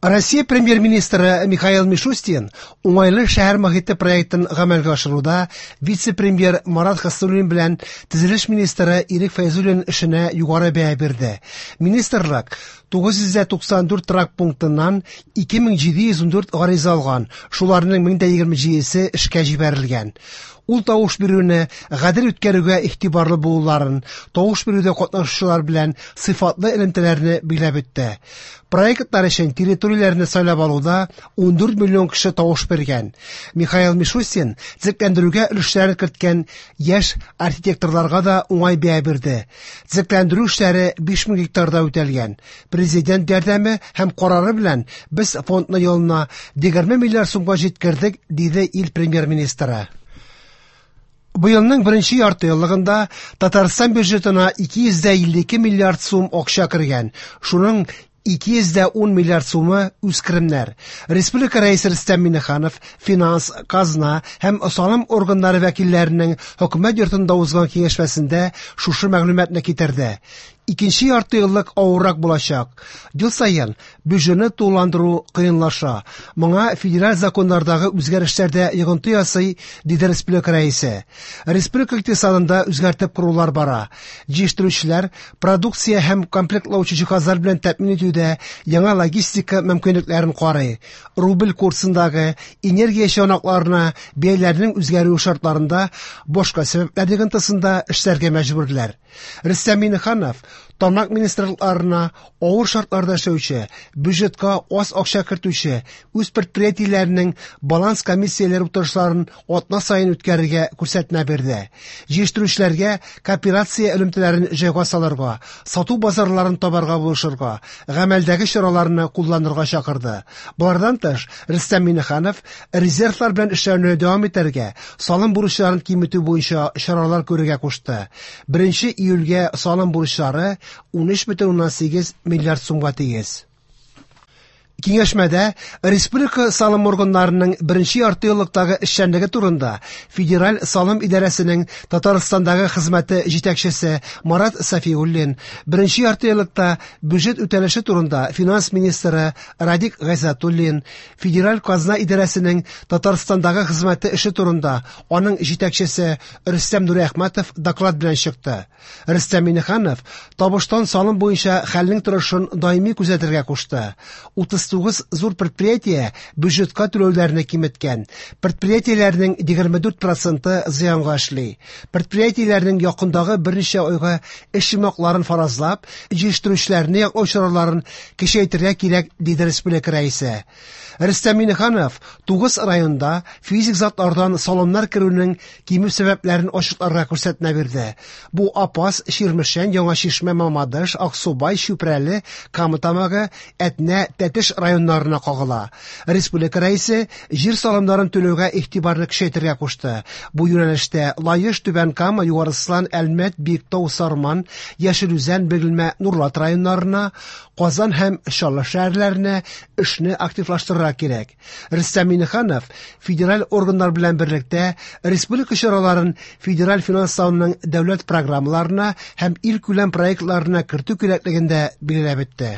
Россия премьер-министры Михаил Мишустин уңайлы шәһәр мохите проектын гамәлгә ашыруда вице-премьер Марат Хәснуллин белән төзелеш министры Ирек Фәйзуллин эшенә югары бәя бирде. Министрлык 994 торак пунктыннан 2714 гариза алган, шуларның 1027-се эшкә җибәрелгән. Ул тавыш бирүне гадел үткәрүгә игътибарлы булуларын, тавыш бирүдә катнашучылар белән сыйфатлы элемтәләрне билгеләп үтте. Проектлар өчен территорияләрне сайлап алуда 14 миллион кеше тавыш биргән. Михаил Мишустин төзекләндерүгә өлешләрен керткән яшь архитекторларга да уңай бәя бирде. Төзекләндерү эшләре 5000 гектарда үтәлгән. Президент ярдәме һәм карары белән без фондны елына 20 миллиард сумга җиткердек, диде ил премьер-министры. Быелның беренче ярты еллыгында Татарстан бюджетына 252 миллиард сум акча кергән. Шуның 210 миллиард сумы үз керемнәр. Республика Рәисе Рөстәм Миңнеханов финанс, казна һәм салым органнары вәкилләренең хөкүмәт йортында узган киңәшмәсендә шушы мәгълүматны китерде. Икенче ярты еллык авыррак булачак. Ел саен бюджетны тулыландыру кыенлаша. Моңа федераль законнардагы үзгәрешләр дә йогынты ясый, диде республика рәисе. Республика икътисадында үзгәртеп корулар бара. Җитештерүчеләр продукция һәм комплектлаучы җиһазлар белән тәэмин итүдә яңа логистика мөмкинлекләрен карый. Рубль курсындагы энергия чыганакларына бәяләрнең үзгәрүе шартларында башка сәбәпләр йогынтысында эшләргә мәҗбүрләр. Рөстәм Миңнеханов тармак министрлыкларына авыр шартларда эшләүче, бюджетка аз акча кертүче үз предприятиеләренең баланс комиссияләре утырышларын атна саен үткәрергә күрсәтмә бирде. Җитештерүчеләргә кооперация элемтәләрен җайга салырга, сату базарларын табарга булышырга, гамәлдәге чараларны кулланырга чакырды. Болардан тыш, Рөстәм Миңнеханов резервлар белән эшләүне дәвам итәргә, салым бурычларын киметү буенча чаралар күрергә кушты. 1 июльгә салым бурычлары 13,8 миллиард сумга тигез. Киңәшмәдә республика салым органнарының беренче ярты еллыктагы эшчәнлеге турында Федераль салым идарәсенең Татарстандагы хезмәте җитәкчесе Марат Сафиуллин, беренче ярты еллыкта бюджет үтәлеше турында финанс министры Радик Гайзатуллин, Федераль казна идарәсенең Татарстандагы хезмәте эше турында аның җитәкчесе Рөстәм Нуриәхмәтов доклад белән чыкты. Рөстәм Миңнеханов табыштан салым буенча хәлнең торышын даими күзәтергә кушты. 39 зур предприятие бюджетка түләүләрне киметкән. Предприятиеләрнең 24 проценты зыянга эшли. Предприятиеләрнең якындагы берничә айга эш йомгакларын фаразлап, җитештерүчеләрне яклау чараларын көчәйтергә кирәк, диде республика рәисе. Рөстәм Миңнеханов 9 районда физик затлардан салымнар керүнең кимү сәбәпләрен ачыкларга күрсәтмә бирде. Бу Апас, Чирмешән, Яңа Чишмә, Мамадыш, Аксубай, Чүпрәле, Кама Тамагы, Әтнә, Тәтеш районнарына кагыла. Республика рәисе җир салымнарын түләүгә игътибарны көчәйтергә кушты. Бу юнәлештә Лаеш, Түбән Кама, Югары Ослан, Әлмәт, Биектау, Сарман, Яшел Үзән, Бөгелмә, Нурлат районнарына, Казан һәм Чаллы шәһәрләренә эшне активлаштырырга кирәк. Рөстәм Миңнеханов федераль органнар белән берлектә республика чараларын федераль финанслауның дәүләт программаларына һәм илкүләм проектларына кертү кирәклеген дә билгеләп үтте.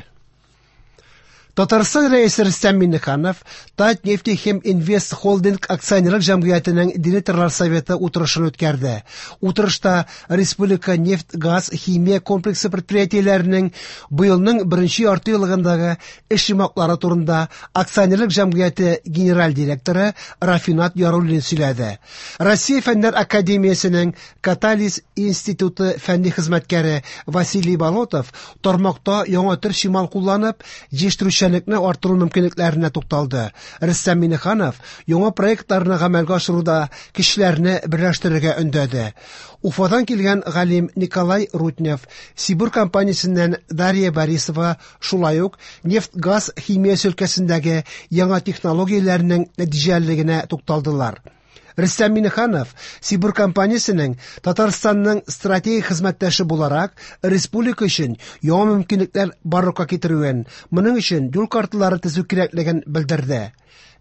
Татарстан Рәисе Рөстәм Миңнеханов Татнефтехим Инвест Холдинг акционерлык җәмгыятенең директорлар советы утырышын үткәрде. Утырышта республика нефть, газ, химия комплексы предприятиеләренең быелның беренче ярты еллыгындагы эш йомгаклары турында акционерлык җәмгыяте генераль директоры Рафинат Яруллин сөйләде. Россия Фәннәр академиясенең Катализ институты фәнни хезмәткәре Василий Болотов тармакта яңа төр чимал кулланып, җитештерүчәнлекне арттыру мөмкинлекләренә тукталды. Рөстәм Миңнеханов яңа проектларны гамәлгә ашыруда кешеләрне берләштерергә өндәде. Уфадан килгән галим Николай Руднев, Сибур компаниясеннән Дарья Борисова шулай ук нефть-газ химиясе өлкәсендәге яңа технологияләрнең нәтиҗәлелегенә тукталдылар. Рөстәм Миңнеханов Сибур компаниясенең Татарстанның стратегик хезмәттәше буларак республика өчен яңа мөмкинлекләр барлыкка китерүен, моның өчен юл карталары төзү кирәклеген белдерде.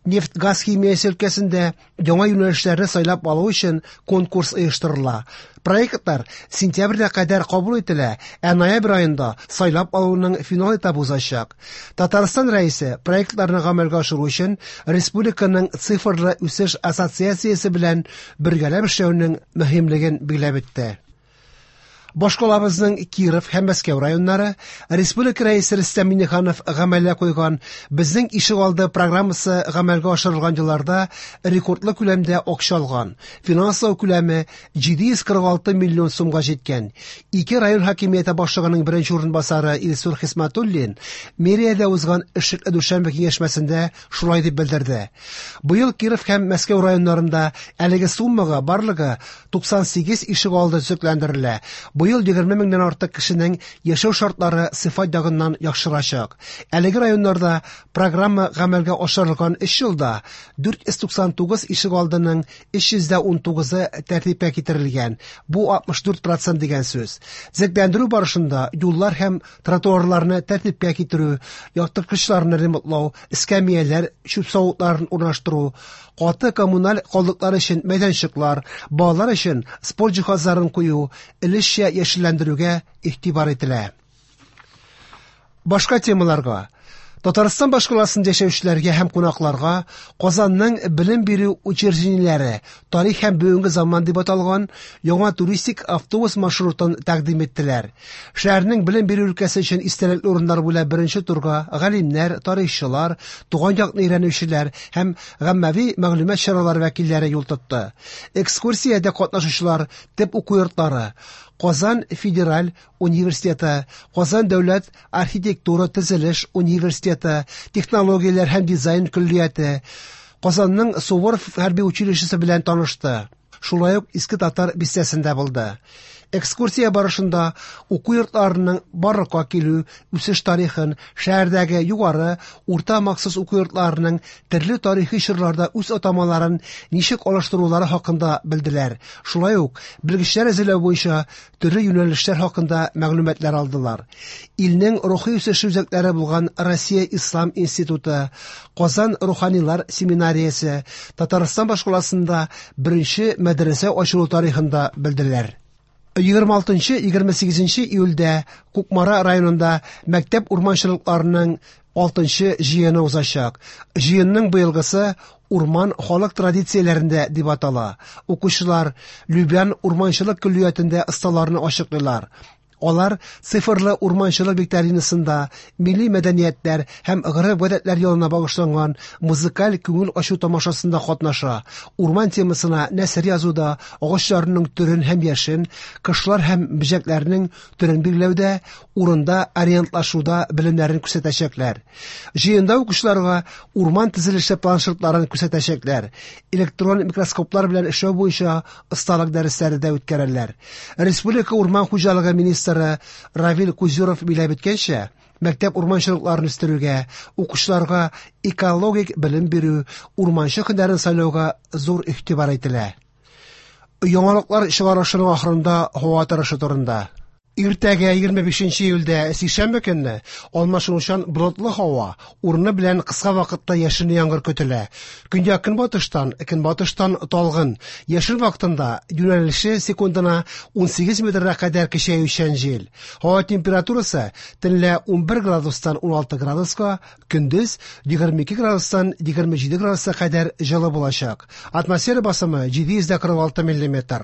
Нефть-газ химиясе өлкәсендә яңа юнәлешләрне сайлап алу өчен конкурс оештырыла. Проектлар сентябрьгә кадәр кабул ителә, ә ноябрь аенда сайлап алуның финал этабы узачак. Татарстан Рәисе проектларны гамәлгә ашыру өчен республиканың цифрлы үсеш ассоциациясе белән бергәләп эшләүнең мөһимлеген билгеләп үтте. Башкалабызның Киров һәм Мәскәү районнары Республика Рәисе Рөстәм Миңнеханов гамәлгә куйган Безнең ишегалды программасы гамәлгә ашырылган елларда рекордлы күләмдә акча алган. Финанслау күләме 746 миллион сумга җиткән. Ике район хакимияте башлыгының беренче урынбасары Илсур Хисматуллин мэриядә узган эшлекле дүшәмбе киңәшмәсендә шулай дип белдерде. Быел Киров һәм Мәскәү районнарында әлеге суммага барлыгы 98 ишегалды төзекләндерелә. Быел 20 меңнән артык кешенең яшәү шартлары сыйфат ягыннан яхшырачак. Әлеге районнарда программа гамәлгә ашырылган 3 елда 499 ишегалдының 319-ы тәртипкә китерелгән. Бу 64% дигән сүз. Төзекләндерү барышында юллар һәм тротуарларны тәртипкә китерү, яктырткычларны ремонтлау, эскәмияләр, чүп савытларын урнаштыру, каты коммуналь калдыклар өчен мәйданчыклар, балалар өчен спорт җиһазларын кую, өлешчә яшелләндерүгә игътибар ителә. Башка темаларга. Татарстан башкаласында яшәүчеләргә һәм кунакларга Казанның белем бирү учреждениеләре тарих һәм бүгенге заман дип аталган яңа туристик автобус маршрутын тәкъдим иттеләр. Шәһәрнең белем бирү өлкәсе өчен истәлекле урыннар буйлап беренче турга галимнәр, тарихчылар, туган якны өйрәнүчеләр һәм гаммәви мәгълүмат чаралары вәкилләре юл тотты. Экскурсиядә катнашучылар төп уку йортлары, Казан федераль университеты, Казан дәүләт архитектура төзелеш университеты, технологияләр һәм дизайн көллияте, Казанның Суворов хәрби училищесы белән танышты. Шулай ук Иске Татар бистәсендә булды. Экскурсия барышында уку йортларының барлыкка килү, үсеш тарихын, шәһәрдәге югары, урта махсус уку йортларының төрле тарихи чорларда үз атамаларын ничек алыштырулары хакында белделәр. Шулай ук белгечләр әзерләү буенча төрле юнәлешләр хакында мәгълүматлар алдылар. Илнең рухи үсеше үзәкләре булган Россия Ислам институты, Казан руханилар семинариясе, Татарстан башкаласында беренче мәдрәсә ачылу тарихында белделәр. 26-28 июльдә Кукмара районында мәктәп урманчылыкларының 6-нчы җыены узачак. Җыенның быелгысы урман халык традицияләрендә дип атала. Укучылар Любян урманчылык көллиятендә осталарны ачыклыйлар. Алар цифрлы урманчылык викторинасында милли мәдәниятләр һәм гореф-гадәтләр елына багышланган музыкаль күңел ачу тамашасында катнаша. Урман темасына нәсер язуда, агачларның төрен һәм яшен, кошлар һәм бөҗәкләрнең төрен билгеләүдә, урында ориентлашуда белемнәрен күрсәтәчәкләр. Җыенда укучыларга урман төзелеше планшетларын күрсәтәчәкләр, электрон микроскоплар белән эшләү буенча осталык дәресләре дә үткәрәләр. Республика урман хуҗалыгы министры Равил Кузюров билгеләп үткәнчә, мәктәп урманчылыкларын үстерүгә, укучыларга экологик белем бирү, урманчы һөнәрен сайлауга зур игътибар ителә. Яңалыклар чыгарылышының ахырында һава торышы турында. Иртәгә 25 июльдә сишәмбе көнне алмашынучан болытлы һава, урыны белән кыска вакытта яшенле яңгыр көтелә. Көньяк көнбатыштан, көнбатыштан талгын. Яшен вакытында юнәлеше секундына 18 метрга кадәр көчәючән җил. Һава температурасы төнлә 11 градустан 16 градуска, көндез 22 градустан 27 градуска кадәр җылы булачак. Атмосфера басымы 746 миллиметр.